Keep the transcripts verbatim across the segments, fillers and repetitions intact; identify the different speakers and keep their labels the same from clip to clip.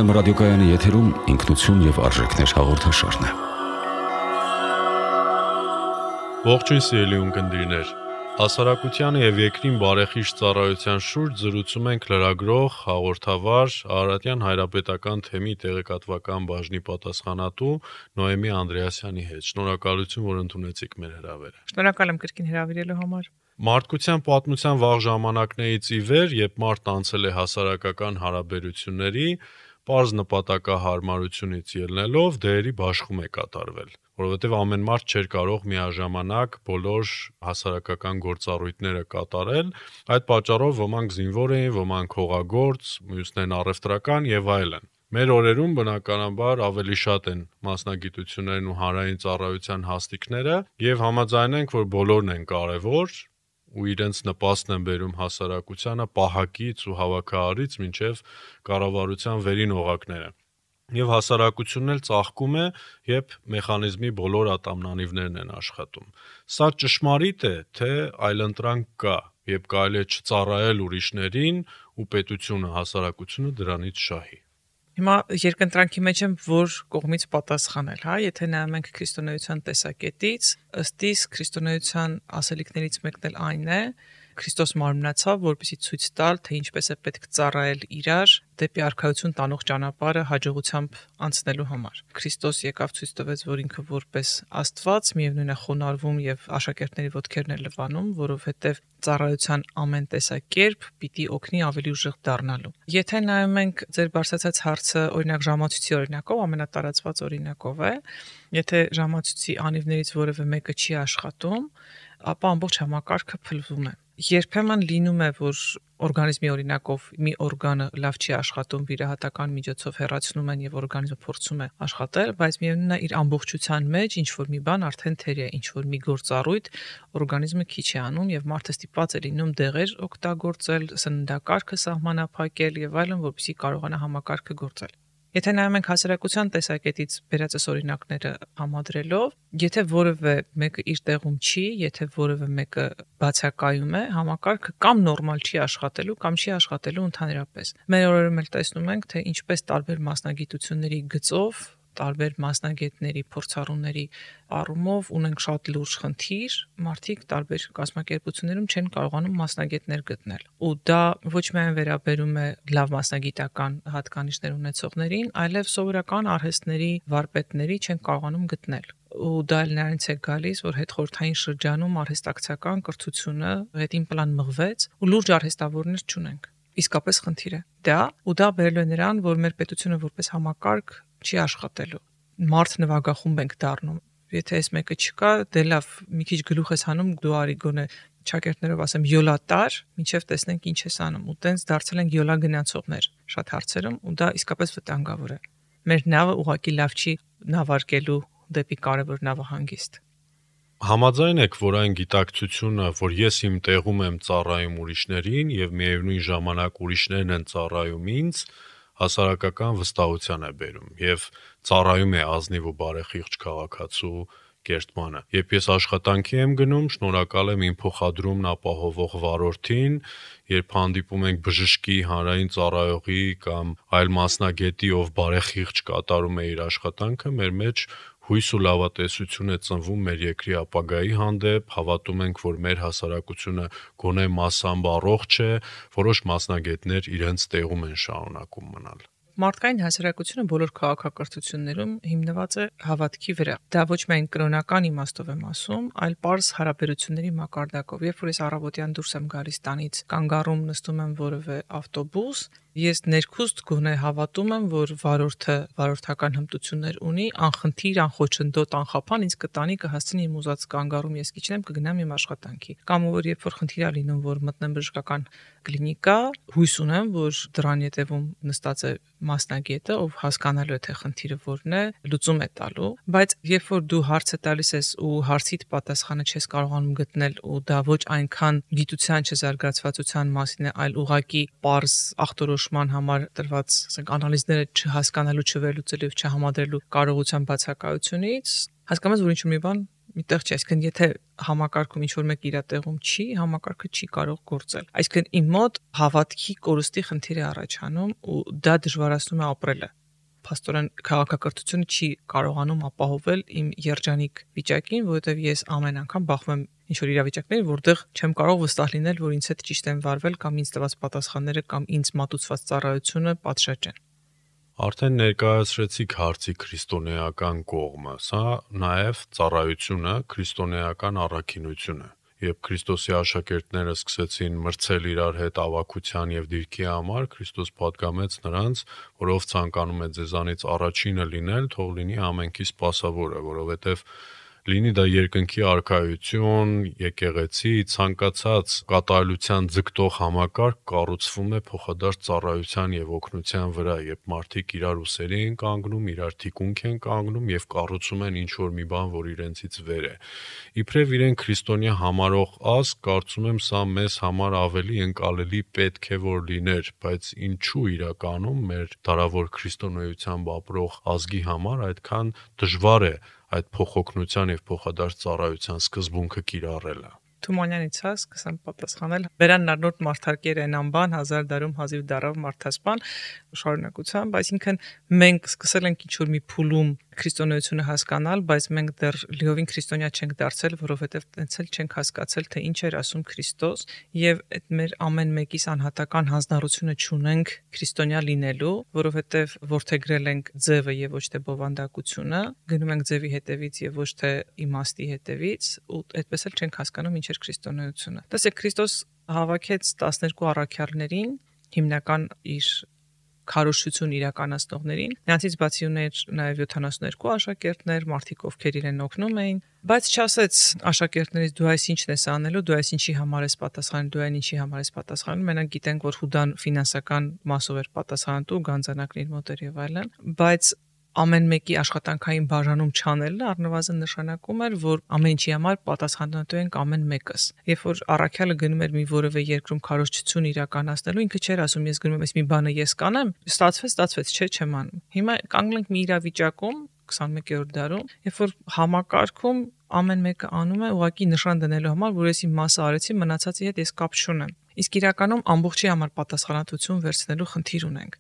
Speaker 1: Երգորիա ռադիոկայանի եթերում ինքնություն եւ արժեքներ հաղորդաշարն է։
Speaker 2: Ողջույն սիրելի ունկնդիրներ։ Հասարակությանը եւ երկրին բարեխիղճ ծառայության շուրջ զրուցում ենք լրագրող, հաղորդավար, Արարատյան հայրապետական թեմի տեղեկատվական բաժնի պատասխանատու Նոեմի Անդրեասյանի հետ։ Շնորհակալություն, որ ընդունեցիք մեր հրավերը։
Speaker 3: Շնորհակալ եմ կրկին հրավիրելու համար։
Speaker 2: Մարդկության պատմության վաղ ժամանակներից ի վեր, երբ մարդ անցել է հասարակական հարաբերությունների, պարզ նպատակահարմարությունից ելնելով դերերի բաշխում է կատարվել, որովհետև ամեն մարդ չէր կարող միաժամանակ բոլոր հասարակական գործառույթները կատարել, այդ պատճառով ոմանք զինվոր էին, ոմանք հողագործ, մյուսներն առևտրական եւ այլն։ Մեր օրերում բնականաբար ավելի շատ են մասնագիտություններն ու հանրային ծառայության հաստիկները եւ համաձայն ենք, որ բոլորն են կարեւոր ու իրենց նպաստն են բերում հասարակությանը պահակից ու հավաքարարից մինչև կառավարության վերին օղակները։ Եվ հասարակությունն էլ ծաղկում է, երբ մեխանիզմի բոլոր ատամնանիվներն են աշխատում։ Սա ճշմարիտ է, թե այլընտրանք կա, երբ կարելի է չծառայել ուրիշներին ու պետությունը, հասարակությունը դրանից շահի։
Speaker 3: Հիմա երկընտրանքի մեջ եմ որ կողմից պատասխանել, հա, եթե նայում ենք քրիստոնեության տեսակետից, ըստ իս քրիստոնեության ասելիքներից մեկն էլ այն է, Քրիստոս մարմնացավ, որպեսզի ցույց տալ, թե ինչպես է պետք ծառայել իրար դեպի արքայություն տանող ճանապարհը հաջողությամբ անցնելու համար։ Քրիստոս եկավ ցույց տվեց, որ ինքը որպես Աստված միևնույն է խոնարհվում եւ աշակերտների ոտքերն է լվանում, որովհետեւ ծառայության ամեն տեսակերպ պիտի օգնի ավելի ուժեղ դառնալու։ Եթե նայում ենք ձեր բարձրացած հարցը, օրինակ ժամացույցի օրինակով, ամենատարածված օրինակով է, եթե ժամացույցի անիվներից որևէ մեկը չի աշխատում, ապա ամբողջ համակարգը փլվում է։ Երբեմն լինում է, որ օրգանիզմի օրինակով մի օրգանը լավ չի աշխատում, վիրահատական միջոցով հեռացնում են եւ օրգանիզմը փորձում է աշխատել, բայց միևնույնն է իր ամբողջության մեջ ինչ որ մի բան արդեն թեր է, ինչ որ մի գործառույթ օրգանիզմը քիչ է անում եւ մարդը ստիպված է լինում դեղեր օգտագործել, սննդակարգը սահմանափակել եւ այլն, որպեսզի կարողանա համակարգը գործել։ Եթե նայում ենք հասարակության տեսակետից վերածես օրինակները համադրելով, եթե որևէ մեկը իր տեղում չի, եթե որևէ մեկը բացակայում է, համակարգը կամ նորմալ չի աշխատելու, կամ չի աշխատելու ընդհանրապես։ Մեր օրերում էլ տեսնում ենք, թե ինչպես տարբեր մասնագիտությունների գծով, տարբեր մասնագետների, փորձառուների առումով ունենք շատ լուրջ խնդիր, մարդիկ տարբեր կազմակերպություններում չեն կարողանում մասնագետներ գտնել։ Ու դա ոչ միայն վերաբերում է լավ մասնագիտական հատկանիշներ ունեցողներին, այլև սովորական արհեստների վարպետների չեն կարողանում գտնել։ Ու դա էլ նրանից է գալիս, որ հետխորհրդային շրջանում արհեստակցական կրթությունը հետին պլան մղվեց ու լուրջ արհեստավորներ չունենք։ Իսկապես խնդիր է դա, ու դա բերելու է նրան, որ մեր պետությունը որպես համակարգ չի աշխատելու։ Մարդ նվագախումբ ենք դառնում։ Եթե այս մեկը չկա, դե լավ, մի քիչ գլուխ ես հանում, դու արի գոնե ճակերտներով ասեմ յոլա տար, մինչև տեսնենք ինչ ես անում։ Ու տենց դարձել ենք յոլա գնացողներ շատ հարցերում, ու դա իսկապես վտանգավոր է։ Մեր նավը ուղղակի լավ չի նավարկելու դեպի կարևոր նավահանգիստ։
Speaker 2: Համաձայն եք, որ այն գիտակցությունը, որ ես իմ տեղում եմ ծառայում ուրիշներին եւ միևնույն ժամանակ ուրիշներն են ծառայում ինձ, հասարակական վստահության է բերում եւ ծառայում է ազնիվ ու բարեխիղճ քաղաքացու կերտմանը։ Երբ ես աշխատանքի եմ գնում, շնորհակալ եմ իմ փոխադրումն ապահովող վարորդին, երբ հանդիպում ենք բժշկի, հանրային ծառայողի կամ այլ մասնագետի, ով բարեխիղճ կատարում է իր աշխատանքը, մեր մեջ հույս ու լավատեսություն է ծնվում մեր երկրի ապագայի հանդեպ, հավատում ենք, որ մեր հասարակությունը գոնե մասամբ առողջ է, որոշ մասնագետներ իրենց տեղում են շարունակում մնալ։
Speaker 3: Մարդկային հասարակությունը բոլոր քաղաքակրթություններում հիմնված է հավատքի վրա։ Դա ոչ միայն կրոնական իմաստով եմ ասում, այլ պարզ հարաբերությունների մակարդակով։ Երբ որ ես առավոտյան դուրս եմ գալիս տանից, կանգառում նստում եմ որևէ ավտոբուս, ես ներքուստ գոնե հավատում եմ, որ վարորդը վարորդական հմտություններ ունի, անխնդիր, անխոչնդոտ, անխափան ինձ կտանի կհասցնի իմ ուզած կանգառում ես կիջնեմ, կգնամ իմ աշխատանքի։ Կամ որ երբ որ խնդիր է լինում, որ մտնեմ բժշկական կլինիկա, հույս ունեմ, որ դրան ետևում նստած է մասնագետը, ով հասկանալու է թե խնդիրը որն է, լուծում է տալու, բայց երբ որ դու հարցը տալիս ես ու հարցիդ պատասխանը չես կարողանում գտնել ու դա ոչ այնքան գիտության չզարգացվածության մասին է, այլ ուղղակի պարզ ախտորոշման համար տրված, ասենք, անալիզները չհասկանալու, չվերլուծելու, չհամադրելու կարողության բացակայությունից, հասկանում ես, որ ինչ-որ մի բան միտեղ չի, այսինքն եթե համակարգում ինչ-որ մեկ իր տեղում չի, համակարգը չի կարող գործել։ Այսինքն իմ մոտ հավատքի կորստի խնդիր է առաջանում ու դա դժվարացնում է ապրելը։ փաստորեն քաղաքակրթությունը չի կարողանում ապահովել իմ երջանիկ վիճակին, որովհետև ես ամեն անգամ բախվում եմ ինչ-որ իրավիճակների, որտեղ չեմ կարող վստահ լինել, որ ինձ հետ ճիշտ են վարվել կամ ինձ տված պատասխանները կամ ինձ մատուցված ծառայությունը պատշաճ են։
Speaker 2: Արդեն ներկայացրեցիք հարցի քրիստոնեական կողմը, սա նաև ծառայությունը, քրիստոնեական առաքինությունը։ Երբ Քրիստոսի աշակերտները սկսեցին մրցել իրար հետ ավագության եւ դիրքի համար, Քրիստոս պատգամեց նրանց, որ ով ցանկանում է ձեզանից առաջինը լինել, թող լինի ամենքի սպասավորը, որովհետեւ լինի դա երկնքի արքայություն, եկեղեցի, ցանկացած կատարելության ձգտող համակարգ կառուցվում է փոխադարձ ծառայության եւ օգնության վրա, երբ մարդիկ իրար ուսերի են կանգնում, իրար թիկունք են կանգնում եւ կառուցում են ինչ-որ մի բան, որ իրենցից վեր է։ Իբրև իրեն քրիստոնյա համարող ազգ, կարծում եմ սա մեզ համար ավելի ընկալելի պետք է որ լիներ, բայց ինչու իրականում մեր դարավոր քրիստոնեությամբ ապրող ազգի համար այդքան դժվար է այդ փոխօգնության եւ փոխադարձ ծառայության սկզբունքը կիրառելը։
Speaker 3: Թումանյանից հա սկսեմ պատասխանել։ Վերան նարնորդ մարդարկեր են անբան հազար դարում հազիվ դարավ մարդասպան շարունակությամբ, այսինքն մենք սկսել ենք ինչ-որ մի փուլում քրիստոնեությունը հասկանալ, բայց մենք դեռ լիովին քրիստոնյա չենք դարձել, որովհետև տենց էլ չենք հասկացել, թե ինչ էր ասում Քրիստոս, եւ այդ մեր ամեն մեկիս անհատական հանձնառությունը չունենք քրիստոնյա լինելու, որովհետև որդեգրել ենք ձևը եւ ոչ թե բովանդակությունը, գնում ենք ձևի հետևից եւ ոչ թե իմաստի հետևից, ու այդպես էլ չենք հասկանում ինչ էր քրիստոնեությունը։ Տեսեք, Քրիստոս հավաքեց տասներկու առաքյալներին, հիմնական իր քարոզչություն իրականացնողներին, նրանցից բացի ուներ նաև յոթանասունհինգ աշակերտներ, մարդիկ ովքեր իրեն օգնում էին, բայց չասեց աշակերտներից դու այս ինչն ես անելու, դու այս ինչի համար ես պատասխանում, դու այն ինչի համար ես պատասխանում, մենք գիտենք, որ Հուդան ֆինանսական մասով էր պատասխանատու, գանձանակն իր մոտ էր եւ այլն, բայց ամեն մեկի աշխատանքային բաժանում չանելը առնվազն նշանակում էր, որ ամեն ինչի համար պատասխանատու ենք ամեն մեկս։ Երբ որ առաքյալը գնում էր մի որևէ երկրում քարոզչություն իրականացնելու, ինքը չէր ասում ես գնում եմ այս մի բանը ես կանեմ, ստացվեց, ստացվեց, չէ, չեմ անում։ Հիմա կանգնենք մի իրավիճակում քսանմեկերորդ դարում, երբ որ համակարգում ամեն մեկը անում է ուղղակի նշան դնելու համար, որ ես իմ մասը արեցի, մնացածի հետ ես կապ չունեմ։ Իսկ իրականում ամբողջի համար պատասխանատվություն վերցնելու խնդիր ունենք։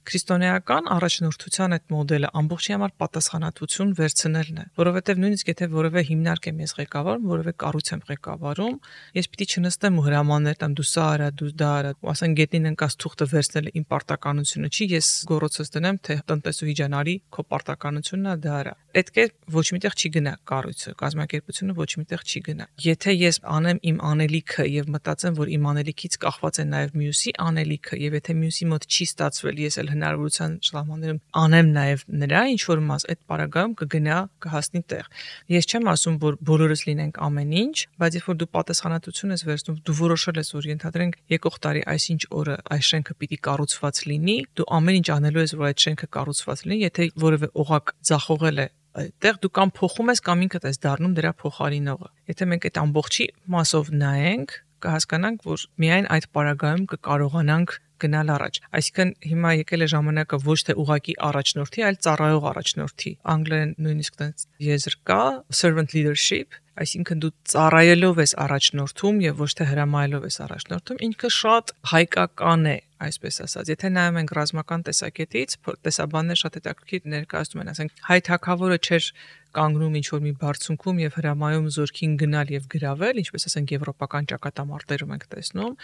Speaker 3: Քրիստոնեական առաջնորդության այդ մոդելը ամբողջի համար պատասխանատվություն վերցնելն է, որովհետև նույնիսկ եթե որևէ հիմնարկ եմ ես ղեկավարում, որևէ կառույց եմ ղեկավարում, ես պիտի չնստեմ ու հրամաններ տամ դու սա արա, դու դա արա, ու ասեն գետնին ընկած թուղթը վերցնելը իմ պարտականությունը չի, ես գոռոցս դնեմ, թե տնտեսուհի ջան արի, քո պարտականությունն է դա արա։ Պետք է ոչ միտեղ չի գնա կառույցը, կազմակերպությունը ոչ միտեղ չի գնա։ Եթե ես անեմ իմ անելիքը եւ մտածեմ, որ իմ անելիքից կախված է նաեւ մյուսի անելիքը, եւ եթե մյուսի մոտ չի ստացվել, ես էլ հնարավորության շլամաններում անեմ նաև նրա ինչ որ մաս, այդ պարագայում կգնա կհասնի տեղ։ Ես չեմ ասում, որ բոլորս լինենք ամեն ինչ, բայց երբ որ դու պատասխանատվություն ես վերցնում, դու որոշել ես, որ ենթադրենք եկող տարի այսինչ օրը այս շենքը պիտի կառուցված լինի, դու ամեն ինչ անելու ես, որ այդ շենքը կառուցված լինի, եթե որևէ օղակ ձախողել է այդտեղ դու կամ փոխում ես կամ ինքդ ես դառնում դրա փոխարինողը։ Եթե մենք այդ ամբողջի մասով նայենք, կհասկանանք, որ միայն այդ պարագայում կկարողանանք գնալ առաջ։ Այսինքն հիմա եկել է ժամանակը ոչ թե ուղակի առաջնորդի, այլ ծառայող առաջնորդի։ Անգլերեն նույնիսկ այդպես եզր կա, servant leadership, այսինքն դու ծառայելով ես առաջնորդում եւ ոչ թե հրամայելով ես առաջնորդում, ինքը շատ հայկական է, այսպես ասած։ Եթե նայում ենք ռազմական տեսակետից, տեսաբաններ շատ հետաքրքիր ներկայացնում են, ասենք հայ թագավորը չէր կանգնում ինչ-որ մի բարձունքում եւ հրամայում զորքին գնալ եւ գրավել, ինչպես ասենք եվրոպական ճակատամարտերում ենք տեսնում,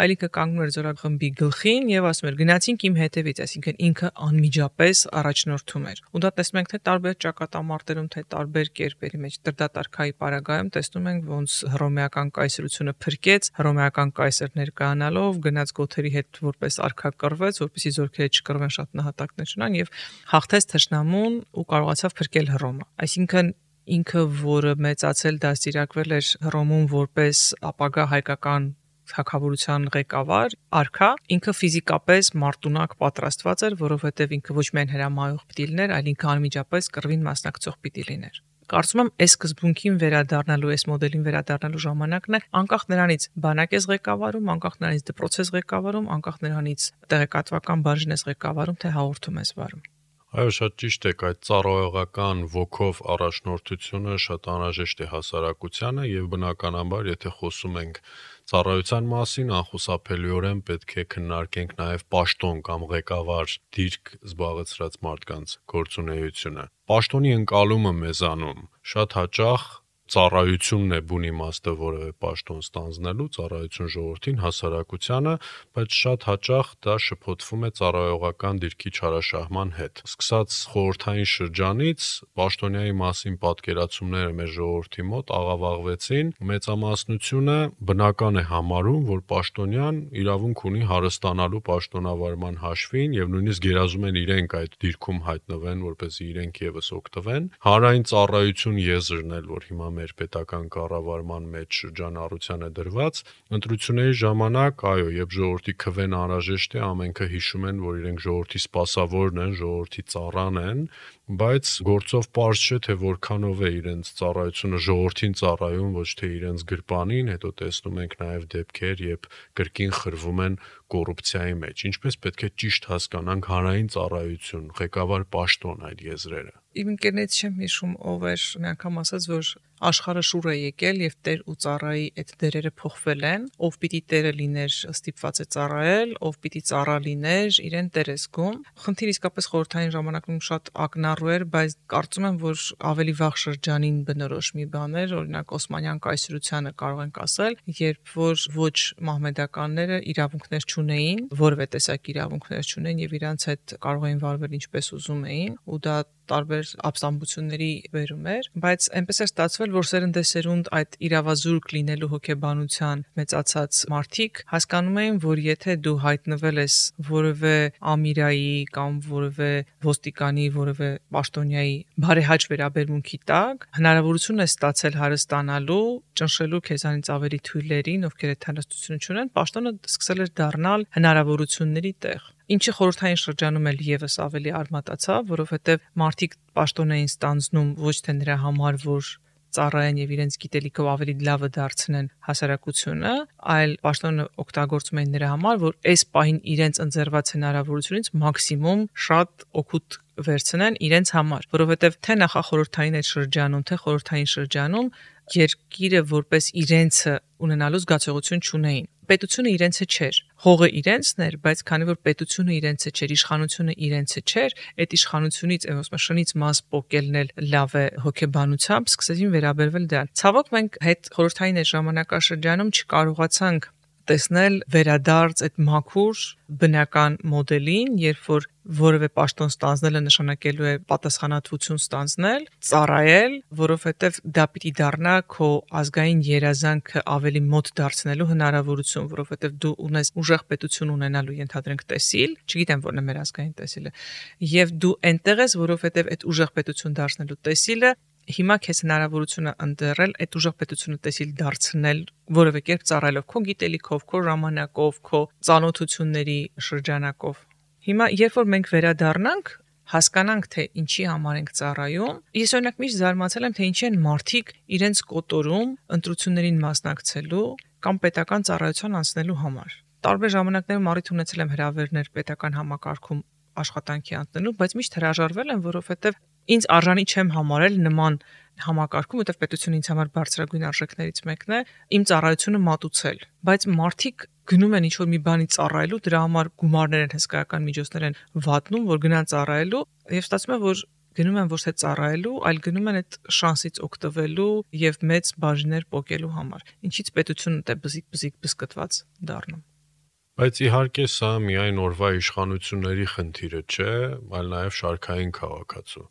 Speaker 3: այլ ինքը կանգնում էր զորախմբի գլխին եւ ասում էր գնացինք իմ հետևից, այսինքն ինքը անմիջապես առաջնորդում էր։ Ու դա տեսնում ենք թե տարբեր ճակատամարտերում, թե տարբեր կերպերի մեջ Տրդատարքայի պարագայում տեսնում ենք ոնց հռոմեական կայսրությունը փրկեց, հռոմեական կայսր ներկայանալով գնաց գոթերի հետ որպես արքա կռվեց, որպեսզի զորքերը չկռվեն, շատ նահատակներ չունան եւ հաղթեց թշնամուն ու կարողացավ փրկել Հռոմը։ Այսինքն ինքը, որը մեծացել դաստիարակվել էր Հռոմում որպես ապագա հայկական թագավորության ղեկավար, արքա, ինքը ֆիզիկապես մարտունակ պատրաստված էր, որովհետև ինքը ոչ միայն հրամայող պիտի լիներ, այլ ինքը անմիջապես կռվին մասնակցող պիտի լիներ։ Կարծում եմ, այս սկզբունքին վերադառնալու, այս մոդելին վերադառնալու ժամանակն է, անկախ նրանից բանակ ես ղեկավարում, անկախ նրանից դպրոց ես ղեկավարում, անկախ նրանից տեղեկատվական բաժին ես ղեկավարում, թե հաղորդում ես վարում։
Speaker 2: Այո, շատ ճիշտ է, այդ ծառայողական ոգով առաջնորդությունը շատ անհրաժեշտ է հասարակությանը եւ բնականաբար, եթե խոսում ենք Ծառայության մասին անխուսափելիորեն պետք է քննարկենք նաև պաշտոն կամ ղեկավար դիրք զբաղեցրած մարդկանց գործունեությունը։ Պաշտոնի ընկալումը մեզանում շատ հաճախ ծառայությունն է բուն իմաստը որևէ պաշտոն ստանձնելու, ծառայություն ժողովրդին, հասարակությանը, բայց շատ հաճախ դա շփոթվում է ծառայողական դիրքի չարաշահման հետ։ Սկսած խորհրդային շրջանից պաշտոնյայի մասին պատկերացումները մեր ժողովրդի մոտ աղավաղվեցին, մեծամասնությունը բնական է համարում, որ պաշտոնյան իրավունք ունի հարստանալու պաշտոնավարման հաշվին եւ նույնիսկ գերազում են իրենք այդ դիրքում հայտնվեն, որպեսզի իրենք եւս օգտվեն։ Հանրային ծառայություն եզրն էլ, որ հիմա մեր պետական կառավարման մեջ շրջանառության է դրված, ընտրությունների ժամանակ, այո, երբ ժողովրդի քվեն անհրաժեշտ է, ամենքը հիշում են, որ իրենք ժողովրդի սպասավորն են, ժողովրդի ծառան են, բայց գործով պարզ չէ, թե որքանով է իրենց ծառայությունը ժողովրդին ծառայում, ոչ թե իրենց գրպանին, հետո տեսնում ենք նաև դեպքեր, երբ կրկին խրվում են կոռուպցիայի մեջ։ Ինչպես պետք է ճիշտ հասկանանք հանրային ծառայություն, ղեկավար պաշտոն այդ եզրերը։
Speaker 3: Իմ ընկերներից չեմ հիշում ով էր մի անգամ ասաց, որ աշխարհը շուռ է եկել եւ Տեր ու ծառայի այդ դերերը փոխվել են, ով պիտի Տերը լիներ ստիպված է ծառայել, ով պիտի ծառա լիներ իրեն Տեր է զգում։ Խնդիր իսկապես խորհրդային ժամանակում շատ ակնառու էր, բայց կարծում եմ, որ ավելի վաղ շրջանին բնորոշ մի բան էր, օրինակ Օսմանյան կայսրությանը կարող ենք ասել, երբ որ ոչ մահմեդականները իրավունքներ չունեին, որևէ տեսակ իրավունքներ չունեն եւ իրանց հետ կարող էին վարվել ինչպես ուզում էին, ու դա տարբեր ապստամբությունների վերում էր, բայց այնպես էր ստացվել, որ սերնդեսերունդ այդ իրավազուրկ լինելու հոգեբանության մեծացած մարդիկ հասկանում էին, որ եթե դու հայտնվել ես որևէ ամիրայի կամ որևէ ոստիկանի, որևէ պաշտոնյայի բարեհաճ վերաբերմունքի տակ, հնարավորություն է ստացել հարստանալու, ճնշելու քեզանից ավելի թույլերին, ովքեր այդ հարստությունը չունեն, պաշտոնը սկսել էր դառնալ հնարավորությունների տեղ։ Ինչը խորհրդային շրջանում էլ եւս ավելի արմատացավ, որովհետեւ մարդիկ պաշտոն էին ստանձնում ոչ թե նրա համար, որ ծառայեն եւ իրենց գիտելիքով ավելի լավը դարձնեն հասարակությունը, այլ պաշտոնը օգտագործում էին նրա համար, որ այս պահին իրենց ընձեռված հնարավորությունից մաքսիմում շատ օգուտ վերցնեն իրենց համար, որովհետեւ թե նախախորհրդային այդ շրջանում, թե խորհրդային շրջանում երկիրը որպես իրենցը ունենալու զգացողություն չունեին։ Պետությունը իրենցը չէր, հողը իրենցն էր, բայց քանի որ պետությունը իրենցը չէր, իշխանությունը իրենցը չէր, այդ իշխանությունից, ասում եմ, շնից մաս պոկելն էլ լավ է հոգեբանությամբ, սկսեցին վերաբերվել դրան։ Ցավոք մենք հետ խորհրդային այդ ժամանակաշրջանում չկարողացանք տեսնել վերադարձ այդ մաքուր բնական մոդելին, երբ որ որևէ պաշտոն ստանձնելը նշանակելու է պատասխանատվություն ստանձնել, ծառայել, որովհետև դա պիտի դառնա քո ազգային երազանքը ավելի մոտ դարձնելու հնարավորություն, որովհետև դու ունես ուժեղ պետություն ունենալու ենթադրենք տեսիլ, չգիտեմ որն է մեր ազգային տեսիլը, եւ դու այնտեղ ես, որովհետև այդ ուժեղ պետություն դարձնելու տեսիլը հիմա քեզ հնարավորություն է ընտրել այդ ուժեղ պետությունը տեսիլ դարձնել որևէ կերպ ծառայելով քո գիտելիքով, քո ժամանակով, քո ծանոթությունների շրջանակով։ Հիմա երբ որ մենք վերադառնանք, հասկանանք թե ինչի համար ենք ծառայում, ես օրինակ միշտ զարմացել եմ թե ինչի են մարդիկ իրենց կոտորում ընտրություններին մասնակցելու կամ պետական ծառայության անցնելու համար։ Տարբեր ժամանակներում առիթ ունեցել եմ հրավերներ պետական համակարգում աշխատանքի անցնելու, բայց միշտ հրաժարվել եմ, որովհետև ինձ արժանի չեմ համարել նման համակարգում, որտեղ պետությունը ինձ համար բարձրագույն արժեքներից մեկն է, իմ ծառայությունը մատուցել, բայց մարդիկ գնում են ինչ-որ մի բանի ծառայելու, դրա համար գումարներ են, հսկայական միջոցներ են վատնում, որ գնան ծառայելու, եւ ստացվում է, որ գնում են ոչ թե ծառայելու, այլ գնում են այդ շանսից օգտվելու եւ մեծ բաժիններ պոկելու համար, ինչից պետությունը դե բզիկ-բզիկ բսկտված դառնում։
Speaker 2: Բայց իհարկե սա միայն օրվա իշխանությունների խնդիրը չէ, այլ նաև շարքային քաղաքացու։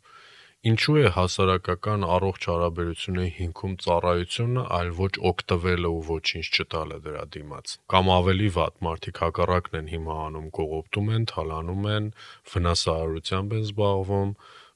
Speaker 2: Ինչու է հասարակական առողջ հարաբերությունների հիմքում ծառայությունը, այլ ոչ օգտվելը ու ոչինչ չտալը դրա դիմաց։ Կամ ավելի վատ, մարդիկ հակառակն են հիմա անում, կողոպտում են, թալանում են, վնասահարությամբ են զբաղվում։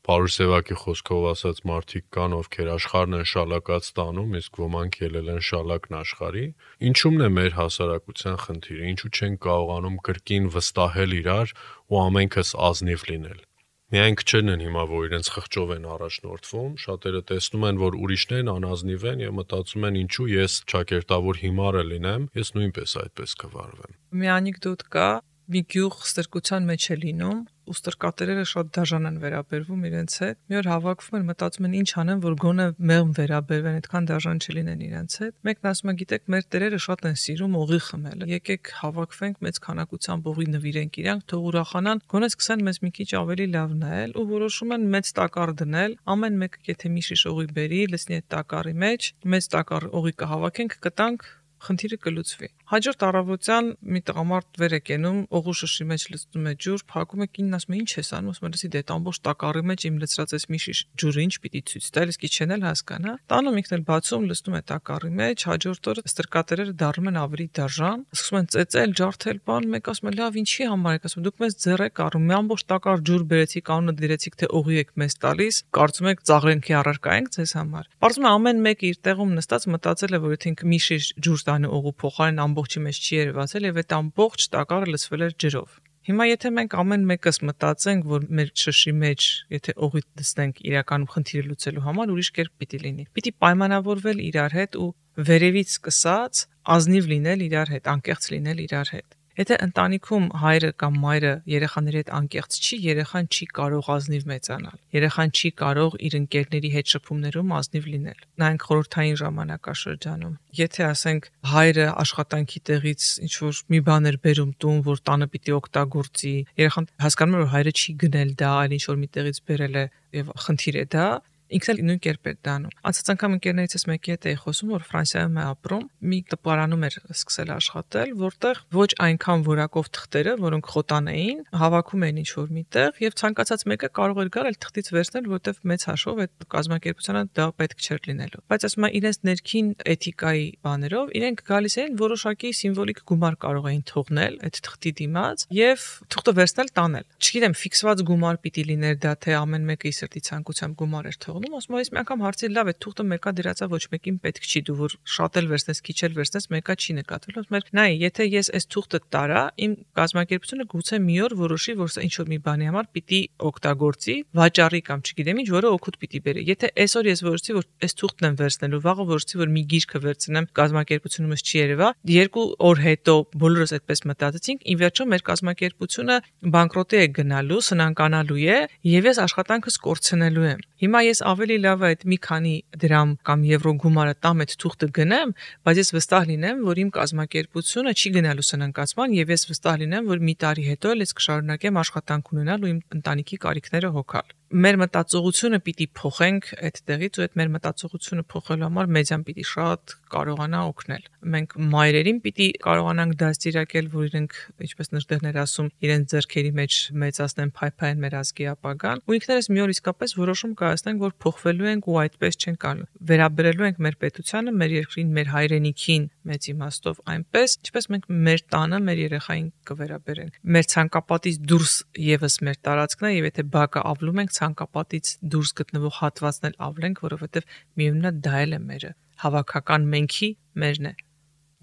Speaker 2: Պարուսևակի խոսքով ասած մարդիկ կան, ովքեր աշխարհն են շալակած տանում, իսկ ոմանք ելել են շալակն աշխարհի։ Ինչու՞մն է մեր հասարակության խնդիրը, ինչու չեն կարողանում կրկին վստահել իրար ու ամենքս ազնիվ լինել։ Միայն քչերն են հիմա, որ իրենց խղճով են առաջնորդվում, շատերը տեսնում են, որ ուրիշներն անազնիվ են եւ մտածում են ինչու ես ճակերտավոր հիմարը լինեմ, ես նույնպես այդպես կվարվեմ։
Speaker 3: Մի անեկդոտ կա, մի գյուղ ստրկության մեջ է լինում, ու ստրկատերերը շատ դաժան են վերաբերվում իրենց հետ։ Մի օր հավաքվում են, մտածում են ինչ անեն, որ գոնե մեղմ վերաբերվեն, այդքան դաժան չլինեն իրենց հետ։ Մեկն ասում է, գիտեք, մեր տերերը շատ են սիրում օղի խմելը։ Եկեք հավաքվենք, մեծ քանակությամբ օղի նվիրենք իրանք, թող ուրախանան, գոնե սկսեն մեզ մի քիչ ավելի լավ նայել ու որոշում են մեծ տակառ դնել։ Ամեն մեկը եթե մի շիշ օղի բերի, լցնի այդ տակառի մեջ, մեծ տակառ օղի կհավաքենք, կտանք, խնդիրը կլուծվի։ Հաջորդ առավոտյան մի տղամարդ վեր է կենում, օղու շշի մեջ լցնում է ջուր, փակում է, կինն ասում է, ինչ ես անում, ասում է, լսի, դե ամբողջ տակառի մեջ իմ լցրած էս մի շիշ ջուրը ինչ պիտի ցույց տալ, իսկ իչեն էլ հասկանա։ Տանում ինքն էլ բացում, լցնում է տակառի մեջ, հաջորդ օրը ստրկատերերը դառնում են ավելի դաժան, սկսում են ծեծել, ջարդել, բան, մեկ ասում է, լավ, ինչի համար եք, ասում, դուք մեզ ձեռեք առում, մի ամբողջ տակառ ջուր բերեցիք, անունը դրեցիք, թե օղի եք մեզ տալիս, կարծում եք ծաղրենքի առարկա ենք ձեզ համար։ Պարզվում է ամեն մեկը իր տեղում նստած մտածել է, որ եթե ինքը մի շիշ ջուր տանի օղու փոխարեն ամբողջի մեջ չի երևացել եւ այդ ամբողջ տակառը լցվել էր ջրով։ Հիմա եթե մենք ամեն մեկս մտածենք, որ մեր շշի մեջ, եթե օղի դնենք իրականում խնդիրը լուծելու համար, ուրիշ կերպ պիտի լինի։ Պիտի պայմանավորվել իրար հետ ու վերևից սկսած ազնիվ լինել իրար հետ, անկեղծ լինել իրար հետ։ Եթե ընտանիքում հայրը կամ մայրը երեխաների հետ անկեղծ չի, երեխան չի կարող ազնիվ մեծանալ։ Երեխան չի կարող իր ընկերների հետ շփումներում ազնիվ լինել։ Նայենք խորհրդային ժամանակաշրջանում։ Եթե ասենք հայրը աշխատանքի տեղից ինչ որ մի բան էր բերում տուն, որ տանը պիտի օգտագործի, երեխան հասկանում է, որ հայրը չի գնել դա, այլ ինչ որ մի տեղից բերել է եւ խնդիր է դա, ինքն էլ նույն կերպ է դանում։ Անցած անգամ ընկերներիցս մեկի հետ էի խոսում, որ Ֆրանսիայում է ապրում, մի տպարանում էր սկսել աշխատել, որտեղ ոչ այնքան որակով թղթերը, որոնք խոտան էին, հավաքում էին ինչ-որ միտեղ եւ ցանկացած մեկը կարող էր գալ այլ թղթից վերցնել, որտեղ մեծ հաշվով այդ կազմակերպությանը դա պետք չէր լինելու։ Բայց ասում եմ, իրենց ներքին էթիկայի բաներով իրենք գալիս էին որոշակի սիմվոլիկ գումար կարող էին թողնել այդ թղթի դիմաց եւ թղթը վերցնել տանել։ Չգիտեմ, ֆիքսված գումար պիտի լիներ դա, թե ամեն մեկը իր սրտի ցանկությամբ գումար էր թողնում, ասում եմ, ես մի անգամ հարցրի, լավ է, թուղթը մեկա դրածա, ոչ մեկին պետք չի, դու որ շատ էլ վերցնես, քիչ էլ վերցնես, մեկա չի նկատվել։ Ասում եմ, նայ, եթե ես այս թուղթը տարա, իմ կազմակերպությունը գուցե մի օր որոշի, որ սա ինչ որ մի բանի համար պիտի օգտագործի, վաճառի կամ չգիտեմ ինչ, որը օգուտ պիտի բերի։ Եթե այսօր ես որոշեցի, որ այս թուղթն եմ վերցնելու, վաղը որոշեցի, որ մի գիրքը վերցնեմ, կազմակերպությունումս չի երևա, երկու օր հետո բոլորս այդպես մտածեցինք, ի վերջո մեր կազմակերպությունը բանկրոտի է գնալու, սնանկանալու է, եւ ես աշխատանքս կորցնելու եմ։ Հիմա ես ավելի լավ է այդ մի քանի դրամ կամ եվրո գումարը տամ այդ թուղթը գնեմ, բայց ես վստահ լինեմ, որ իմ կազմակերպությունը չի գնալու սնանկացման եւ ես վստահ լինեմ, որ մի տարի հետո էլ ես կշարունակեմ աշխատանք ունենալ ու իմ ընտանիքի կարիքները հոգալ։ Մեր մտածողությունը պիտի փոխենք այդ տեղից ու այդ մեր մտածողությունը փոխելու համար մեդիան պիտի շատ կարողանա օգնել։ Մենք մայրերին պիտի կարողանանք դաստիարակել, որ իրենք, ինչպես նժդեղներ ասում, իրենց ձեռքերի մեջ մեծացնեն, փայփայեն մեր ազգի ապագան, ու ինքներս մի օր իսկապես որոշում կայացնենք, որ փոխվելու ենք ու այդպես չենք անում։ Վերաբերելու ենք մեր պետությանը, մեր երկրին, մեր հայրենիքին մեծ իմաստով այնպես, ինչպես մենք մեր տանը, մեր երեխային կվերաբերենք։ Մեր ցանկապատից դուրս եւս մեր տարածքն է, եւ եթե բակը ավլում ենք, ցանկապատից դուրս գտնվող հատվածն էլ ավլենք, որովհետև միևնույնն է դա էլ է մերը, հավաքական մենքի մերն է։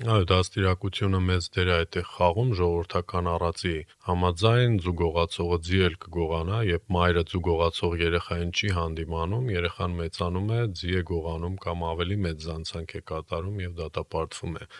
Speaker 2: Այո, դաստիարակությունը մեծ դեր է այդտեղ խաղում, ժողովրդական առածի համաձայն զուգողացողը ձի էլ կգողանա, երբ մայրը զուգողացող երեխային չի հանդիմանում, երեխան մեծանում է, ձի է գողանում կամ ավելի մեծ զանցանք է կատարում եւ դատապարտվում է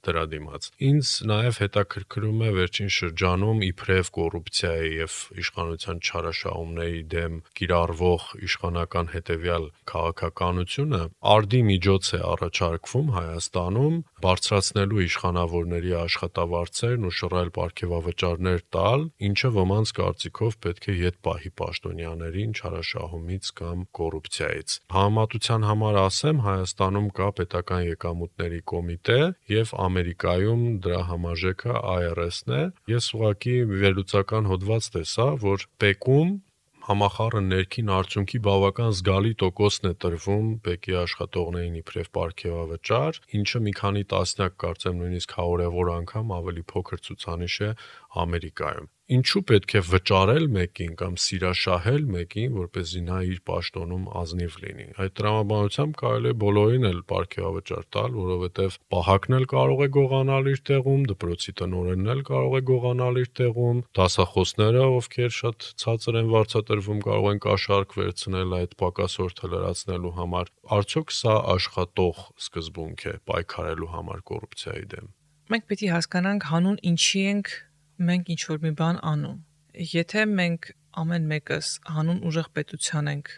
Speaker 2: դրա դիմաց։ Ինձ նաև հետաքրքրում է վերջին շրջանում իբրև կոռուպցիայի եւ իշխանության չարաշահումների դեմ կիրառվող իշխանական հետևյալ քաղաքականությունը արդի միջոց է առաջարկվում Հայաստանում բարձրացնելու իշխանավորների աշխատավարձերն ու շռայլ պարգևավճարներ տալ, ինչը ոմանց կարծիքով պետք է ետ պահի պաշտոնյաներին չարաշահումից կամ կոռուպցիայից։ Համեմատության համար ասեմ, Հայաստանում կա պետական եկամուտների կոմիտե եւ Ամերիկայում դրա համաժեքը I R S-ն է։ Ես ուղղակի վերլուծական հոդված տեսա, որ ՊԵԿ-ում համախառը ներքին արդյունքի բավական զգալի տոկոսն է տրվում ՊԵԿ-ի աշխատողներին իբրև պարգևավճար, ինչը մի քանի տասնյակ, կարծեմ նույնիսկ հարյուրավոր անգամ ավելի փոքր ցուցանիշ է Ամերիկայում։ Ինչու պետք է վճարել մեկին կամ սիրաշահել մեկին, որպեսզի նա իր պաշտոնում ազնիվ լինի։ Այդ տրամաբանությամբ կարելի է բոլորին էլ պարգևավճար տալ, որովհետև պահակն էլ կարող է գողանալ իր տեղում, դպրոցի տնօրենն էլ կարող է գողանալ իր տեղում, դասախոսները, ովքեր շատ ցածր են վարձատրվում, կարող են կաշառք վերցնել այդ պակասորդը լրացնելու համար։ Արդյոք սա աշխատող սկզբունք է պայքարելու համար կոռուպցիայի դեմ։
Speaker 3: Մենք պիտի հասկանանք հանուն ինչի ենք մենք ինչ որ մի բան անում։ Եթե մենք ամեն մեկս հանուն ուժեղ պետության ենք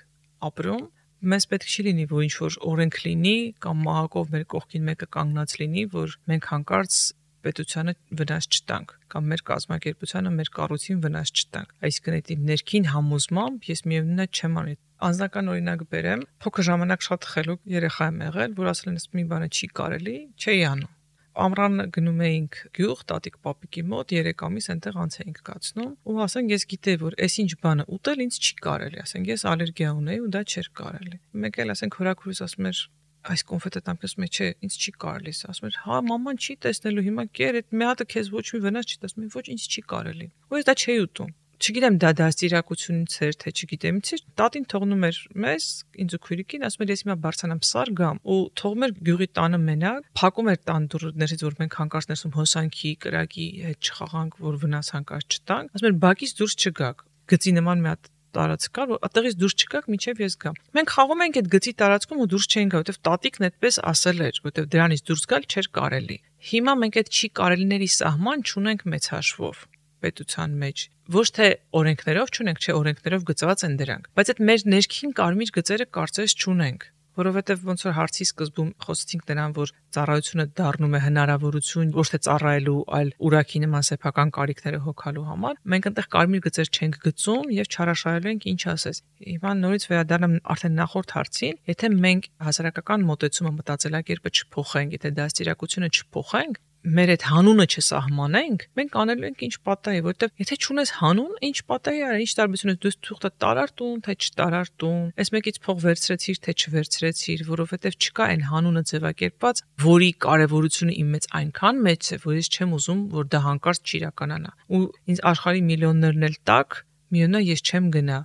Speaker 3: ապրում, մեզ պետք չի լինի, որ ինչ-որ օրենք լինի կամ մահակով մեր կողքին մեկը կանգնած լինի, որ մենք հանկարծ պետությանը վնաս չտանք կամ մեր կազմակերպությանը, մեր կառույցին վնաս չտանք։ Այսինքն այդ ներքին համոզմամբ ես միևնույն է չեմ անի։ Անձնական օրինակ բերեմ, փոքր ժամանակ շատ խելոք երեխա եմ եղել, որ ասել են, մի բանը չի կարելի, չէի անում։ Ամռան գնում էինք գյուղ, տատիկ պապիկի մոտ, երեք ամիս այնտեղ անց էինք կացնում, ու ասենք ես գիտեի, որ այս ինչ բանը ուտել ինձ չի կարելի, ասենք ես ալերգիա ունեի ու դա չէր կարելի։ Մեկ էլ ասենք հորաքուրս ասում էր, այս կոնֆետը տանքես մեջ չէ, ինձ չի կարելի, ասում էր, հա մաման չի տեսնելու, հիմա կեր, այդ մի հատը քեզ ոչ մի վնաս չի տալիս, ոչ ինձ չի կարելի։ Ու ես դա չէի ուտում։ Չգիտեմ դա դաստիարակությունից էր, թե չգիտեմ ինչ, տատին թողնում էր մեզ, ինձ ու քույրիկին, ասում էր ես հիմա բարձրանամ սար գամ ու թողում էր գյուղի տանը մենակ, փակում էր տան դուռներից, որ մենք հանկարծ ներսում հոսանքի, կրակի հետ չխաղանք, որ վնաս հանկարծ չտանք, ասում էր բակից դուրս չգաք, գծի նման մի հատ տարածք կար, որ այդտեղից դուրս չգաք, մինչև ես գամ։ Մենք խաղում ենք այդ գծի տարածքում ու դուրս չենք գա, որովհետև տատիկն այդպես ասել էր, որովհետև դրանից դուրս գալ չէր կարելի։ Հիմա մենք այդ չի կարելիների սահման չունենք մեծ հաշվով պետության մեջ։ Ոչ թե օրենքներով չունենք, չէ, օրենքներով գծված են դրանք, բայց այդ մեր ներքին կարմիր գծերը կարծես չունենք, որովհետև ոնց որ հարցի սկզբում խոսեցինք նրան, որ ծառայությունը դառնում է հնարավորություն ոչ թե ծառայելու, այլ ուրակի նման սեփական կարիքները հոգալու համար, մենք այնտեղ կարմիր գծեր չենք գծում եւ չարաշահելու ենք ինչ ասես։ Հիմա նորից վերադառնամ արդեն նախորդ հարցին, եթե մենք հասարակական մոտեցումը, մտածելակերպը չփոխենք, եթե դաստիարակությունը չփոխենք, մեր այդ հանունը չսահմանենք, մենք անելու ենք ինչ պատահի, որովհետև եթե չունես հանուն, ինչ պատահի արա, ինչ տարբերություն է, դու թուղթը տարար տուն, թե չտարար տուն, այս մեկից փող վերցրեցիր, թե չվերցրեցիր, որովհետև չկա այն հանունը ձևակերպված, որի կարևորությունը իմ մեծ այնքան մեծ է, որ ես չեմ ուզում, որ դա հանկարծ չիրականանա։ Ու ինձ աշխարհի միլիոններն էլ տակ, միոնա ես չեմ գնա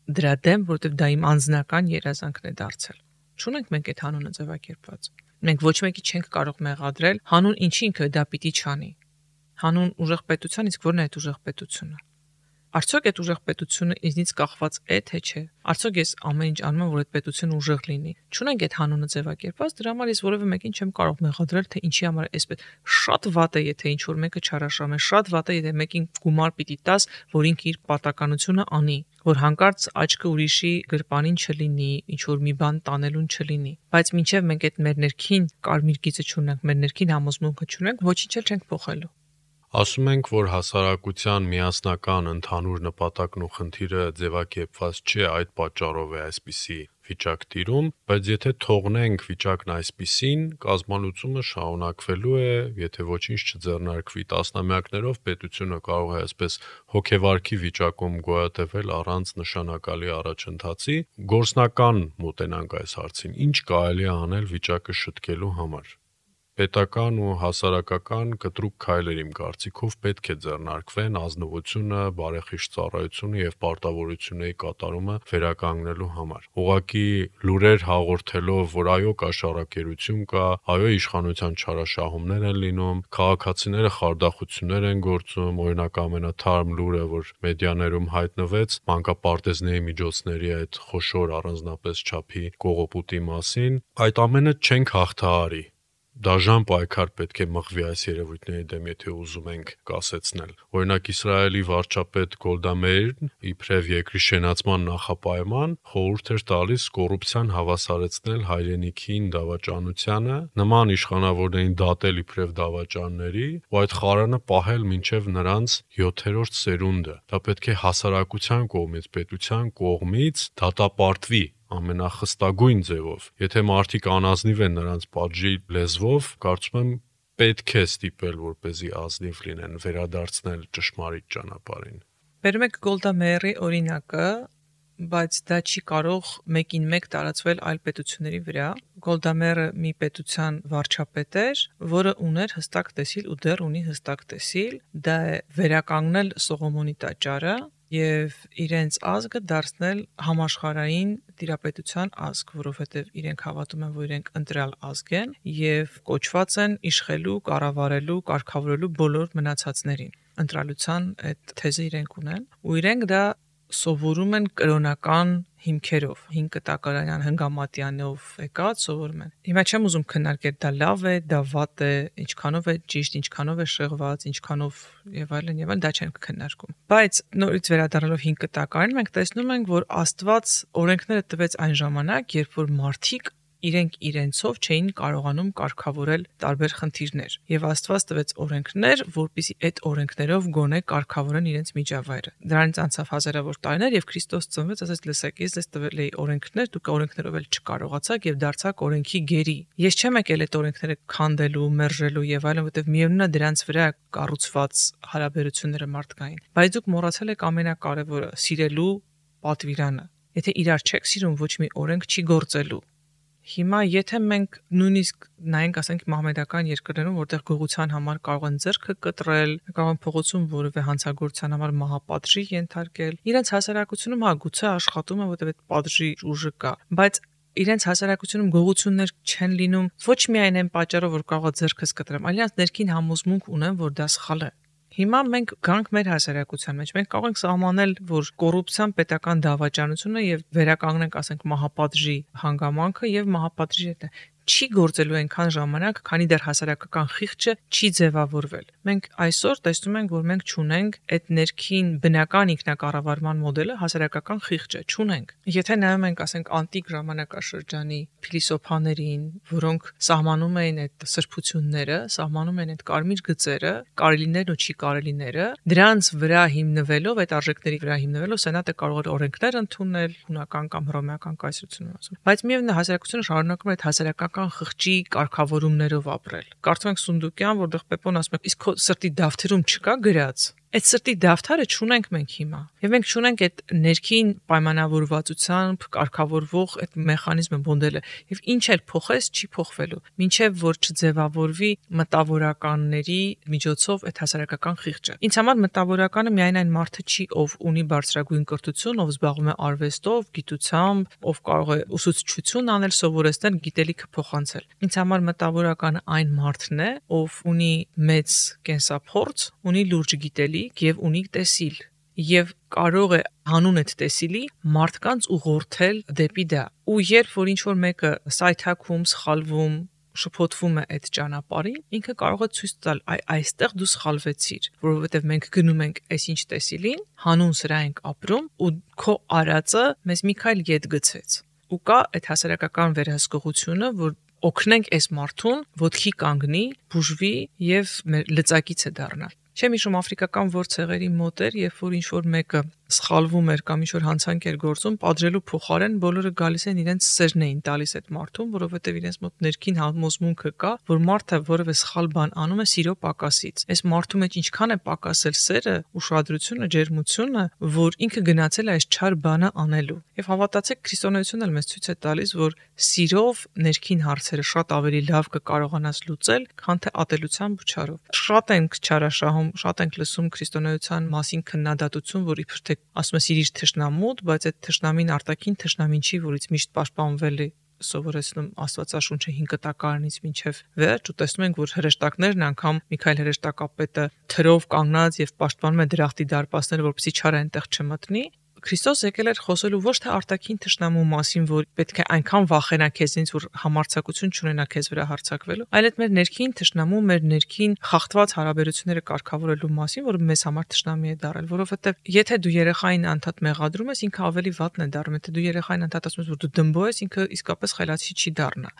Speaker 3: դրա դեմ, որովհետև դա իմ անձնական երազանքն է դարձել։ Չունենք մենք այդ հանունը ձևակերպված։ Մենք ոչ մեկի չենք կարող մեղադրել հանուն ինչի ինքը դա պիտի չանի։ Հանուն ուժեղ պետության, իսկ ո՞րն է այդ ուժեղ պետությունը։ Արդյոք այդ ուժեղ պետությունը ինձնից կախված է թե չէ։ Արդյոք ես ամեն ինչ անում եմ, որ այդ պետությունը ուժեղ լինի։ Չունենք այդ հանունը ձևակերպված, դրա համար ես որևէ մեկին չեմ կարող մեղադրել, թե ինչի համար էսպես։ Շատ վատ է, եթե ինչ որ մեկը չարաշահում է, շատ վատ է, եթե մեկին գումար պիտի տաս, որ ինքը իր պատականությունը անի, որ հանկարծ աչքը ուրիշի գրպանին չլինի, ինչ որ մի բան տանելուն չլինի։ Բայց մինչև մենք այդ մեր ներքին կարմիր գիծը չունենք, մեր ներքին համոզմունքը չունենք, ոչինչ էլ չենք փոխելու։
Speaker 2: Ասում ենք, որ հասարակության միասնական ընդհանուր նպատակն ու խնդիրը ձևակերպված չէ, այդ պատճառով է այսպիսի վիճակ տիրում, բայց եթե թողնենք վիճակն այսպիսին, կազմալուծումը շարունակվելու է, եթե ոչինչ չձեռնարկվի, տասնամյակներով պետությունը կարող է այսպես հոգեվարքի վիճակում գոյատևել առանց նշանակալի առաջընթացի։ Գործնական մոտենանք այս հարցին, ինչ կարելի է անել վիճակը շտկելու համար։ Պետական ու հասարակական կտրուկ քայլեր իմ կարծիքով պետք է ձեռնարկվեն ազնվությունը, բարեխիղճ ծառայությունը եւ պարտավորությունների կատարումը վերականգնելու համար։ Ուղղակի լուրեր հաղորդելով, որ այո կաշառակերություն կա, այո իշխանության չարաշահումներ են լինում, քաղաքացիները խարդախություններ են գործում, օրինակ ամենաթարմ լուրը, որ մեդիաներում հայտնվեց մանկապարտեզների միջոցների այդ խոշոր առանձնապես չափի կողոպուտի մասին, այդ ամենը չենք հաղթահարի։ Դաժան պայքար պետք է մղվի այս երևույթների դեմ, եթե ուզում ենք կասեցնել։ Օրինակ Իսրայելի վարչապետ Գոլդա Մեիրն իբրև երկրի շենացման նախապայման խորհուրդ էր տալիս կոռուպցիան հավասարեցնել հայրենիքին դավաճանությանը, նման իշխանավորներին դատել իբրև դավաճանների, ու այդ խարանը պահել մինչև նրանց յոթերորդ սերունդը։ Դա պետք է հասարակության կողմից, պետության կողմից դատապարտվի ամենախստագույն ձևով։ Եթե մարդիկ անազնիվ են նրանց պատժի լեզվով, կարծում եմ պետք է ստիպել, որպեսզի ազնիվ լինեն, վերադարձնել ճշմարիտ ճանապարհին։
Speaker 3: Բերում եք Գոլդա Մեիրի օրինակը, բայց դա չի կարող մեկին մեկ տարածվել այլ պետությունների վրա։ Գոլդա Մեիրը մի պետության վարչապետ էր, որը ուներ հստակ տեսիլ ու դեռ ունի հստակ տեսիլ, դա է վերականգնել Սողոմոնի տաճարը եւ իրենց ազգը դարձնել համաշխարհային տիրապետության ազգ, որովհետեւ իրենք հավատում են, որ իրենք ընտրյալ ազգ են եւ կոչված են իշխելու, կառավարելու, կարգավորելու բոլոր մնացածներին։ Ընտրալության այդ թեզը իրենք ունեն ու իրենք դա սովորում են կրոնական հիմքերով, հին կտակարանյան հնգամատյանով եկած սովորում են։ Հիմա չեմ ուզում քննարկել դա լավ է, դա վատ է, ինչքանով է ճիշտ, ինչքանով է շեղված, ինչքանով եւ այլն եւ այլն, դա չենք քննարկում։ Բայց նորից վերադառնալով հին կտակարան, մենք տեսնում ենք, որ Աստված օրենքները տվեց այն ժամանակ, երբ որ մարդիկ իրենք իրենցով չէին կարողանում կարգավորել տարբեր խնդիրներ եւ Աստված տվեց օրենքներ, որպեսզի այդ օրենքներով գոնե կարգավորեն իրենց միջավայրը։ Դրանից անցավ հազարավոր տարիներ եւ Քրիստոս ծնվեց, ասես լսեք, ես ձեզ տվել էի օրենքներ, դուք օրենքներով էլ չկարողացաք եւ դարձաք օրենքի գերի։ Ես չեմ եկել այդ օրենքները քանդելու, մերժելու եւ այլն, որովհետեւ միևնույնն է դրանց վրա կառուցված հարաբերությունները մարդկային։ Բայց դուք մոռացել եք ամենակարևորը՝ սիրելու պատվիրանը։ Եթե իրար չեք սիրում, ոչ մի օրենք չի գործելու։ Հիմա եթե մենք նույնիսկ նայենք, ասենք մահմեդական երկրներում, որտեղ գողության համար կարող են ձեռքը կտրել, կարող են փողոցում որևէ հանցագործության համար մահապատժի ենթարկել, իրենց հասարակությունում հա գուցե աշխատում է, որտեղ այդ պատժի ուժը կա, բայց իրենց հասարակությունում գողություններ չեն լինում ոչ միայն այն պատճառով, որ կարող է ձեռքս կտրեմ, այլ իրենց ներքին համոզմունք ունեն, որ դա սխալ է։ Հիմա մենք գանք մեր հասարակության մեջ, մենք կարող ենք սահմանել, որ կոռուպցիան պետական դավաճանությունը եւ վերականգնենք, ասենք, մահապատժի հանգամանքը եւ մահապատժի հետ չի գործելու այնքան ժամանակ, քանի դեռ հասարակական խիղճը չի ձևավորվել։ Մենք այսօր տեսնում ենք, որ մենք չունենք այդ ներքին բնական ինքնակառավարման մոդելը, հասարակական խիղճը չունենք։ Եթե նայում ենք, ասենք, անտիկ ժամանակաշրջանի փիլիսոփաներին, որոնք սահմանում էին այդ սրբությունները, սահմանում են այդ կարմիր գծերը, կարելիներն ու չի կարելիները, դրանց վրա հիմնվելով, այդ արժեքների վրա հիմնվելով, սենատը կարող էր օրենքներ ընդունել, հունական կամ հռոմեական կայսրությունում ասում։ Բայց միևնույն է հասարակությունը շարունակում է այդ հասարակական խղճի կարգավորումներով ապրել։ Կարծում ենք Սունդուկյան, որտեղ Պեպոն ասում է, իսկ քո սրտի դավթերում չկա գրած։ Այդ սրտի դավթարը չունենք մենք հիմա։ Եվ մենք չունենք այդ ներքին պայմանավորվածությամբ կարգավորվող այդ մեխանիզմը, մոդելը։ Եվ ինչ էլ փոխես, չի փոխվելու։ Մինչև որ չձևավորվի մտավորականների միջոցով այդ հասարակական խիղճը։ Ինձ համար մտավորականը միայն այն մարդը չի, ով ունի բարձրագույն կրթություն, ով զբաղվում է արվեստով, գիտությամբ, ով կարող է ուսուցչություն անել, սովորեցնել, գիտելիքը փոխանցել։ Ինձ համար մտավորականը այն մարդն է, ով ունի մեծ կենսափորձ, ունի լուրջ գիտելիք եւ ունի տեսիլ եւ կարող է հանուն այդ տեսիլի մարդկանց ուղղորդել դեպի դա։ Ու երբ որ ինչ որ մեկը սայթաքում, սխալվում, շփոթվում է այդ ճանապարհին, ինքը կարող է ցույց տալ, այ այստեղ դու սխալվեցիր, որովհետեւ մենք գնում ենք այսինչ տեսիլին, հանուն սրա ենք ապրում ու քո արածը մեզ մի քայլ ետ գցեց։ Ու կա այդ հասարակական վերահսկողությունը, որ օգնենք այս մարդուն ոտքի կանգնի, բուժվի եւ մեր լծակիցը դառնալ։ Չեմ հիշում աֆրիկական որ ցեղերի մոտ էր, երբ որ ինչ որ մեկը սխալվում էր կամ ինչ որ հանցանք էր գործում, պատժելու փոխարեն բոլորը գալիս են իրենց սերն էին տալիս այդ մարդուն, որովհետև իրենց մոտ ներքին համոզմունքը կա, որ մարդը որևէ սխալ բան անում է սիրո պակասից։ Այս մարդու մեջ ինչքան է պակասել սերը, ուշադրությունը, ջերմությունը, որ ինքը գնացել է այս չար բանը անելու։ Եվ հավատացեք, քրիստոնեությունն էլ մեզ ցույց է տալիս, որ սիրով ներքին հարցերը շատ ավելի լավ կկարողանաս լուծել, քան թե ատելությամբ ու չարով։ Շատ ենք չարաշահում, շատ ենք լսում քրիստոնեության մասին քննադատություն, որ իբր թե ասում է սիրիր թշնամուդ, բայց այդ թշնամին արտաքին թշնամին չի, որից միշտ պաշտպանվել է սովորեցնում Աստվածաշունչը հին կտակարանից մինչև վերջ, ու տեսնում ենք, որ հրեշտակներն անգամ Միքայել հրեշտակապետը թրով կանգնած եւ պաշտպանում է դրախտի դարպասները, որպեսզի չարը այնտեղ չմտնի։ Քրիստոս եկել էր խոսելու ոչ թե արտաքին թշնամու մասին, որ պետք է այնքան վախենա քեզնից, որ համարձակություն չունենա քեզ վրա հարձակվելու, այլ այդ մեր ներքին թշնամու, մեր ներքին խախտված հարաբերությունները կարգավորելու մասին, որ մեզ համար թշնամի է դարել, որովհետև եթե դու երեխային անդադ մեղադրում ես, ինքը ավելի վատն է դառնում, եթե դու երեխային անդադ ասում ես, որ դու դմբո ես, ինքը իսկապես խելացի չի դառնա։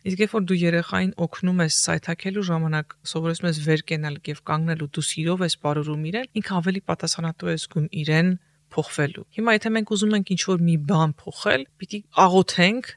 Speaker 3: Իսկ երբ որ դու երեխային օգնում ես սայթաքելու ժամանակ, սովորեցնում ես վեր կենալ եւ կանգնել ու դու սիրով ես բարուրում իրեն, ինքը ավելի պատասխանատու է զգում իրեն փոխվելու։ Հիմա եթե մենք ուզում ենք ինչ-որ մի բան փոխել, պիտի աղոթենք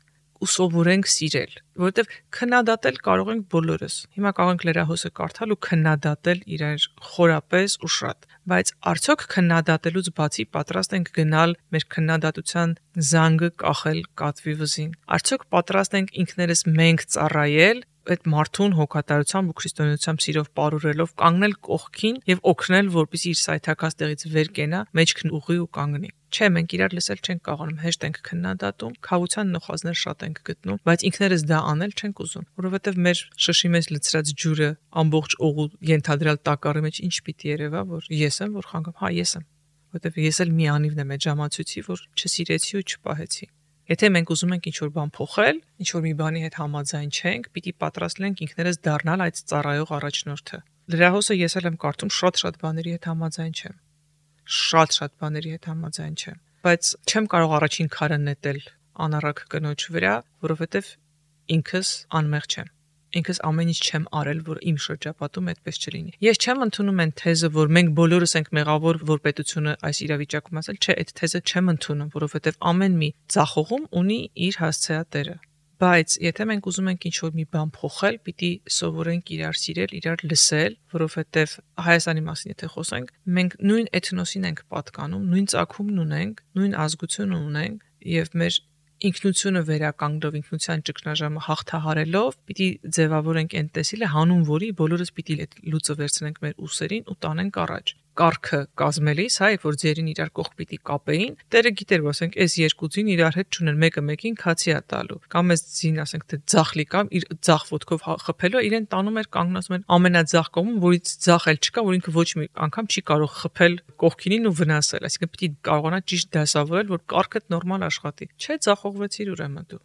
Speaker 3: ու սովորենք սիրել, որովհետև քննադատել կարող ենք բոլորս։ Հիմա կարող ենք լրահոսը կարդալ ու քննադատել իրար խորապես ու շատ, բայց արդյոք քննադատելուց բացի պատրաստ ենք գնալ մեր քննադատության զանգը կախել կատվի վզին։ Արդյոք պատրաստ ենք ինքներս մենք ծառայել այդ մարդուն հոգատարությամբ ու քրիստոնեությամբ սիրով ապարուրելով կանգնել կողքին եւ օգնել, որպեսզի իր սայթակած տեղից վեր կենա, մեջքն ուղի ու կանգնի։ Չէ, մենք իրար լսել չենք կարողանում, հեշտ ենք քննադատում, քավության նոխազներ շատ ենք գտնում, բայց ինքներս դա անել չենք ուզում, որովհետեւ մեր շշի մեջ լցրած ջուրը ամբողջ օղու ենթադրյալ տակառի մեջ ինչ պիտի երևա, որ ես եմ, որ խանգամ, հա ես եմ։ որտեվ ես էլ մի անիվն եմ այդ ժամացույցի, որ չսիրեցի ու չպահեցի։ Եթե մենք ուզում ենք ինչ-որ բան փոխել, ինչ-որ մի բանի հետ համաձայն չենք, պիտի պատրաստ լինենք ինքներս դառնալ այդ ծառայող առաջնորդը։ Լրահոսը ես էլ եմ կարդում, շատ-շատ բաների հետ համաձայն չեմ։ Շատ-շատ բաների հետ համաձայն չեմ, բայց չեմ կարող առաջին քարը նետել անառակ կնոջ վրա, որովհետև ինքս անմեղ չեմ։ Ինքս ամեն ինչ չեմ արել, որ իմ շրջապատում այդպես չլինի։ Ես չեմ ընդունում այն թեզը, որ մենք բոլորս ենք մեղավոր, որ պետությունը այս իրավիճակում ասել, չէ, այդ թեզը չեմ ընդունում, որովհետև ամեն մի ձախողում ունի իր հասցեատերը։ Բայց եթե մենք ուզում ենք ինչ-որ մի բան փոխել, պիտի սովորենք իրար սիրել, իրար լսել, որովհետև Հայաստանի մասին եթե խոսենք, մենք նույն էթնոսին ենք պատկանում, նույն ծագումն ունենք, նույն ազգությունը ունենք եւ մեր ինքնությունը վերականգնելով, ինքնության ճգնաժամը հաղթահարելով, պիտի ձևավորենք այն տեսիլը, հանուն որի բոլորս պիտի լուծը վերցնենք մեր ուսերին ու տանենք առաջ։ Կարգը կազմելիս, հայ, որ ձերին իրար կողք պիտի կապեին, Տերը գիտեր, որ ասենք, այս երկու ձին իրար հետ չունեն, մեկը մեկին քացի է տալու։ Կամ այս ձին, ասենք, թե ձախլի կամ իր ձախ ոտքով խփելու, իրեն տանում էր կանգնացում էր ամենաձախ կողմում, որից ձախ էլ չկա, որ ինքը ոչ մի անգամ չի կարող խփել կողքինին ու վնասել, այսինքն պիտի կարողանա ճիշտ դասավորել, որ կարգը նորմալ աշխատի։ Չէ, ձախողվեցիր ուրեմն դու։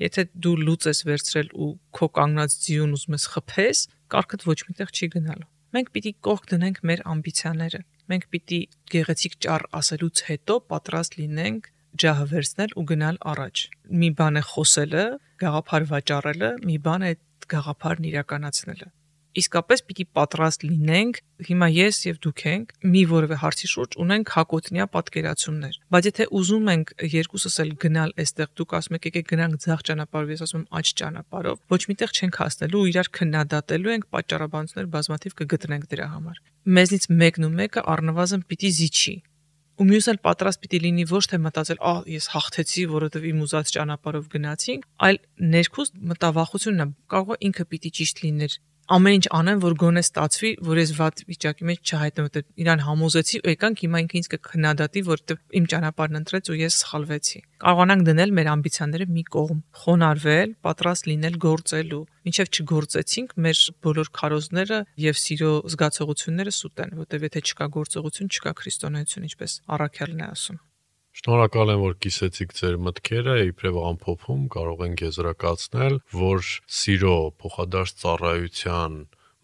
Speaker 3: Եթե դու լուծ ես վերցրել ու քո կանգնած ձիուն ուզում ես խփես, կարգդ ոչ միտեղ չի գնալու։ Մենք պիտի կողք դնենք մեր ամբիցիաները։ Մենք պիտի գեղեցիկ ճառ ասելուց հետո պատրաստ լինենք ջահը վերցնել ու գնալ առաջ։ Մի բան է խոսելը, գաղափար վաճառելը, մի բան է գաղափարն իրականացնելը։ Իսկապես պիտի պատրաստ լինենք, հիմա ես եւ դուք ենք մի որևէ հարցի շուրջ ունենք հակոտնյա պատկերացումներ, բայց եթե ուզում ենք երկուսս էլ գնալ այստեղ, դուք ասում եք եկեք գնանք ձախ ճանապարհով, ես ասում եմ աջ ճանապարհով, ոչ միտեղ չենք հասնելու ու իրար քննադատելու ենք, պատճառաբանություններ բազմաթիվ կգտնենք դրա համար։ Մեզնից մեկն ու մեկը առնվազն պիտի զիջի։ Ու մյուսն էլ պատրաստ պիտի լինի ոչ թե մտածել, «Ահ, ես հաղթեցի, որովհետև իմ ուզած ճանապարհով գնացինք», այլ ներքուստ մտավախությունն է, կարող է ինքը պիտի ճիշտ լիներ։ Ամեն ինչ անեմ, որ գոնե ստացվի, որ ես վատ վիճակի մեջ չհայտնեմ, որտեղ իրան համոզեցի ու եկանք հիմա ինքը ինձ կքննադատի, որտեղ իմ ճանապարհն ընտրեց ու ես սխալվեցի։ Կարողանանք դնել մեր ամբիցիաները մի կողմ, խոնարհվել, պատրաստ լինել գործելու։ Մինչև չգործեցինք, մեր բոլոր քարոզները եւ սիրո զգացողությունները սուտ են, որտեղ եթե չկա գործողություն, չկա քրիստոնեություն, ինչպես Առաքյալն է ասում։
Speaker 2: Շնորհակալ եմ, որ կիսեցիք ձեր մտքերը, իբրև ամփոփում կարող ենք եզրակացնել, որ սիրո փոխադարձ ծառայության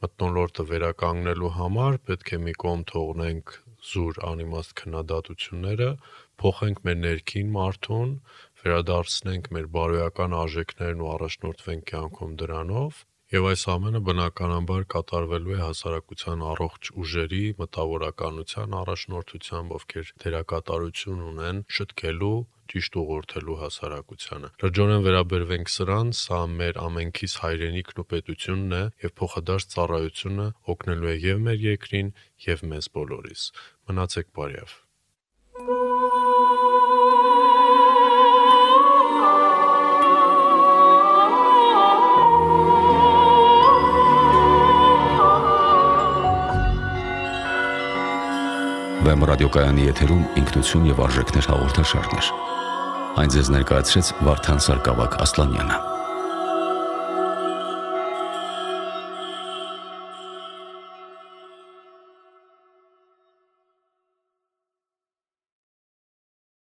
Speaker 2: մթնոլորտը վերականգնելու համար պետք է մի կողմ թողնենք զուր անիմաստ քննադատությունները, փոխենք մեր ներքին մարդուն, վերադարձնենք մեր բարոյական արժեքներն ու առաջնորդվենք կյանքում դրանով, եւ այս ամենը բնականաբար կատարվելու է հասարակության առողջ ուժերի մտավորականության առաջնորդությամբ, ովքեր դերակատարություն ունեն շտկելու, ճիշտ ուղղորդելու հասարակությանը։ Լրջորեն վերաբերվենք սրան, սա մեր ամենքիս հայրենիքն ու պետությունն է եւ փոխադարձ ծառայությունը օգնելու է եւ մեր երկրին եւ մեզ բոլորիս։ Մնացեք բարյավ։
Speaker 1: Վեմ ռադիոկայանի եթերում ինքնություն եւ արժեքներ հաղորդաշարներ։ Այն ձեզ ներկայացրեց Վարդան Սարգսակ Ասլանյանը։